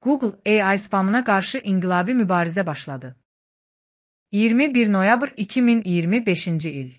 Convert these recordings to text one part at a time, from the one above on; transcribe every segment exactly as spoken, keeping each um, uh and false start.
Google A I spamına qarşı inqilabi mübarizə başladı. iyirmi bir noyabr iki min iyirmi beşinci il.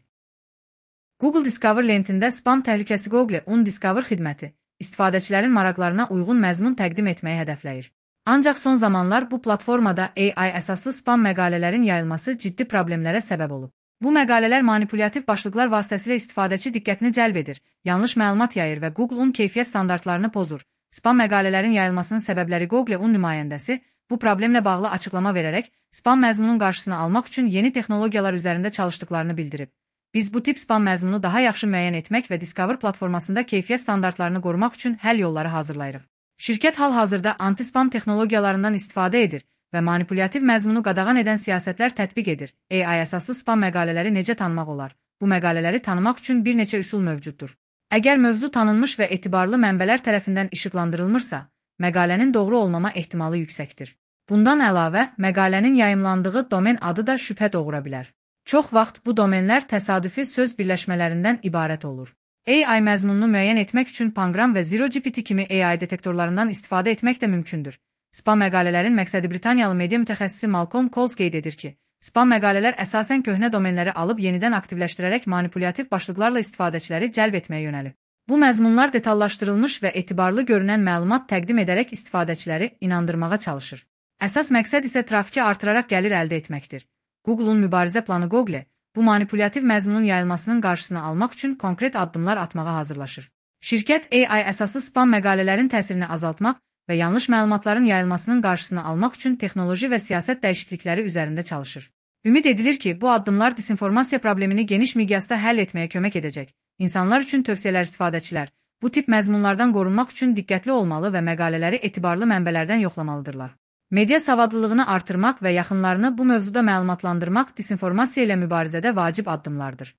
Google Discover lentində spam təhlükəsi Google Undiscover xidməti istifadəçilərin maraqlarına uyğun məzmun təqdim etməyi hədəfləyir. Ancaq son zamanlar bu platformada A I əsaslı spam məqalələrin yayılması ciddi problemlərə səbəb olub. Bu məqalələr manipulyativ başlıqlar vasitəsilə istifadəçi diqqətini cəlb edir, yanlış məlumat yayır və Google-un keyfiyyət standartlarını pozur. Spam məqalələrin yayılmasının səbəbləri Google-un nümayəndəsi bu problemlə bağlı açıqlama verərək spam məzmunun qarşısını almaq üçün yeni texnologiyalar üzərində çalışdıqlarını bildirib. Biz bu tip spam məzmunu daha yaxşı müəyyən etmək və Discover platformasında keyfiyyət standartlarını qorumaq üçün həll yolları hazırlayırıq. Şirkət hal-hazırda anti-spam texnologiyalarından istifadə edir və manipulyativ məzmunu qadağan edən siyasətlər tətbiq edir. A I əsaslı spam məqalələri necə tanımaq olar? Bu məqalələri tanımaq üçün bir neçə üsul mövcuddur. Əgər mövzu tanınmış və etibarlı mənbələr tərəfindən işıqlandırılmırsa, məqalənin doğru olmama ehtimalı yüksəkdir. Bundan əlavə, məqalənin yayımlandığı domen adı da şübhə doğura bilər. Çox vaxt bu domenlər təsadüfi söz birləşmələrindən ibarət olur. A I məzmununu müəyyən etmək üçün Pangram və Zero G P T kimi A I detektorlarından istifadə etmək də mümkündür. Spam məqalələrin məqsədi Britaniyalı media mütəxəssisi Malcolm Coles qeyd edir ki, spam məqalələr əsasən köhnə domenləri alıb yenidən aktivləşdirərək manipulyativ başlıqlarla istifadəçiləri cəlb etməyə yönəlib. Bu məzmunlar detallaşdırılmış və etibarlı görünən məlumat təqdim edərək istifadəçiləri inandırmağa çalışır. Əsas məqsəd isə trafiki artıraraq gəlir əldə etməkdir. Google-un mübarizə planı Google, bu manipulyativ məzmunun yayılmasının qarşısını almaq üçün konkret addımlar atmağa hazırlaşır. Şirkət A I əsaslı spam məqalələrin təsirini azaltmaq və yanlış məlumatların yayılmasının qarşısını almaq üçün texnoloji və siyasət dəyişiklikləri üzərində çalışır. Ümid edilir ki, bu addımlar disinformasiya problemini geniş miqyasda həll etməyə kömək edəcək. İnsanlar üçün tövsiyələr istifadəçilər, bu tip məzmunlardan qorunmaq üçün diqqətli olmalı və məqalələri etibarlı mənbələrdən yoxlamalıdırlar. Media savadlılığını artırmaq və yaxınlarını bu mövzuda məlumatlandırmaq disinformasiya ilə mübarizədə vacib addımlardır.